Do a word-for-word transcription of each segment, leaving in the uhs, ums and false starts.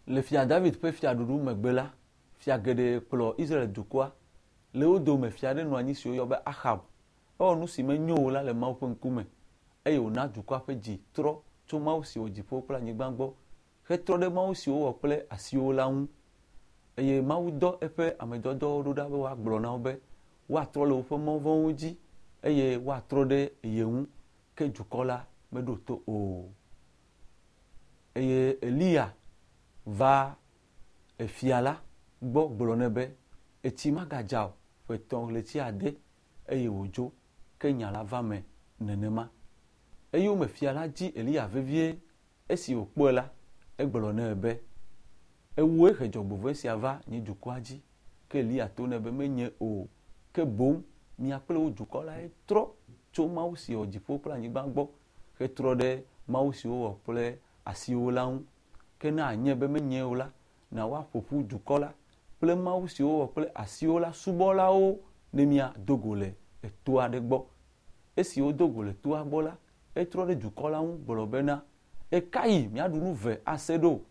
Le fia David ƒe fiaɖuɖu megbe la, fia geɖe kplɔ Israel dukɔa. Le wo dome fia aɖe nɔ anyi si woyɔ be Ahab. Ewɔ nu si menyo o la le Mawu ƒe ŋkume eye wòna dukɔa ƒe dzi trɔ tso Mawu si wɔ dziƒo kple anyigba gbɔ hetrɔ ɖe Mawu si wowɔ kple asiwo la ŋu. Eye Mawu dɔ eƒe amedɔdɔwo ɖo ɖa be woagblɔ na wo be woatrɔ le woƒe mɔ vɔ̃wo dzi eye woatrɔ ɖe ye ŋu ke dukɔ la meɖo to o. Eye Eliya va efia la gbɔ gblɔ nɛ be etsi magadza o ƒe etɔ̃ ɣleti ade eye wòdzo ke nya la va me nenema. Eyome fia la dzi Eliya vevie esi wòkpɔe la egblɔ nɛ be ewòe he dzɔgbevɔ̃e sia va nye dukɔa dzi ke Eliya to nɛ be menye o ke boŋ mia kple wò dukɔ lae trɔ tso Mawu si wɔ dziƒo kple anyigba gbɔ hetrɔ ɖe Mawu si wowɔ kple asiwo la ŋu. Ke ne anye be menye o la, na woaƒo ƒu dukɔ la kple Mawu si wowɔ kple asiwo la subɔlawo ne míado go le eto aɖe gbɔ. Esi wodo go le toa gbɔ la, etrɔ ɖe dukɔ la ŋu gblɔ bena ekayi miaɖu nu ve ase ɖo.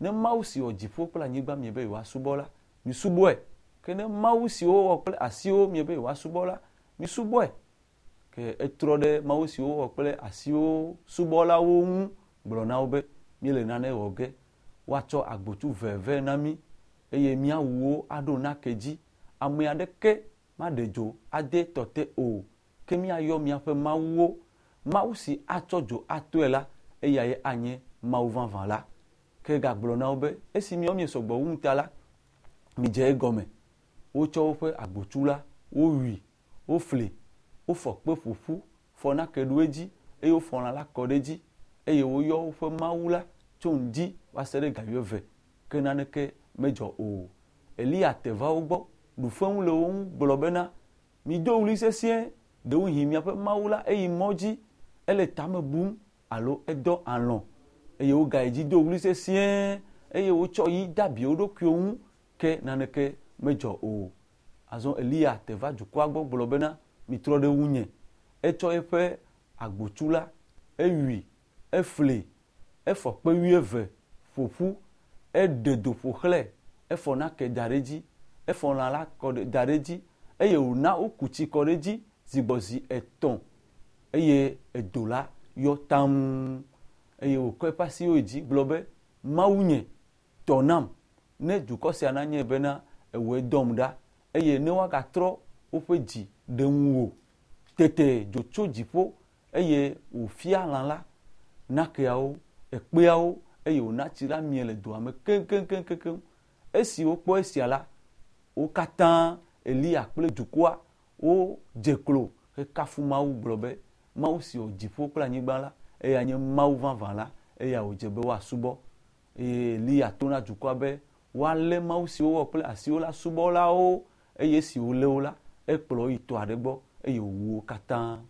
Ne Mawu si wɔ dziƒo kple anyigba miebe yewoasubɔ la, misubɔe. Ke ne Mawu si wowɔ kple asiwo miebe yewoasubɔ la, misubɔe. Ke etrɔ ɖe Mawu si wowɔ kple asiwo subɔlawo ŋu gblɔ na wo be míele nane wɔ ge. Woatsɔ agbotsu ve vɛ na mí eye míawu wo aɖo nake dzi. Ame aɖeke maɖe dzo ade tɔ te o. Ke míayɔ míaƒe mawuwo. Mawu si atsɔ dzo atoe la, eyae anye Mawu vavã la. Ke gagblɔ na wo be esi miawo miesɔgbɔ wum ta la, midze egɔme. Wotsɔ woƒe agbotsu la, wowui, wofli, wofɔ kpe ƒo ƒu, fɔ nake ɖo edzi eye wofɔ lã la kɔ ɖe edzi eye woyɔ woƒe Mawu la tso ŋdi va se ɖe ga wuieve ke naneke medzɔ o. Eliya te va wo gbɔ, ɖu fewu le wo ŋu gblɔ bena mido ɣli sesĩe ɖewohĩ miaƒe Mawu la eyi mɔ dzi ele tame bum alo edɔ alɔ̃ eye wogayi dzi do ɣli sesĩe eye wotsɔ yi de abi wo ɖokuiwo ŋu ke naneke medzɔ o. Azɔ Eliya te va dukɔa gbɔ gblɔ bena mitrɔ ɖe ŋunye. Etsɔ eƒe agbotsu la, ewui, efli, efɔ kpe wuieve ƒo ƒu, eɖe do ƒo xlãe, efɔ nake da ɖe edzi, efɔ lã la kɔ ɖe da ɖe edzi eye wòna woku tsi kɔ ɖe edzi zi gbɔ zi etɔ̃ eye edo la yɔ taŋ eye wòkɔ eƒe asiwo yi dzi gblɔ be Mawunye tɔ nam ne dukɔ sia nanye bena ewòe dɔm ɖa eye ne woagatrɔ woƒe dzi ɖe ŋuwò. Tete dzo tso dziƒo eye wòfia lã la, nakeawo, ekpeawo eye wòna tsi la mie le doa me keŋkeŋkeŋkeŋ. Esi wokpɔ esia la, wo katã Eliya kple dukɔa wodze klo hekafu Mawu gblɔ be Mawu si wɔ dziƒo kple anyigba la, eya nye Mawu vavã la, eya wòdze be woasubɔ. Eye Eliya to na dukɔa be woalé Mawu si wowɔ kple asiwo la subɔlawo eye esi wòlé wo la, ekplɔ wo yi tɔ aɖe gbɔ eye wòwu wo katã.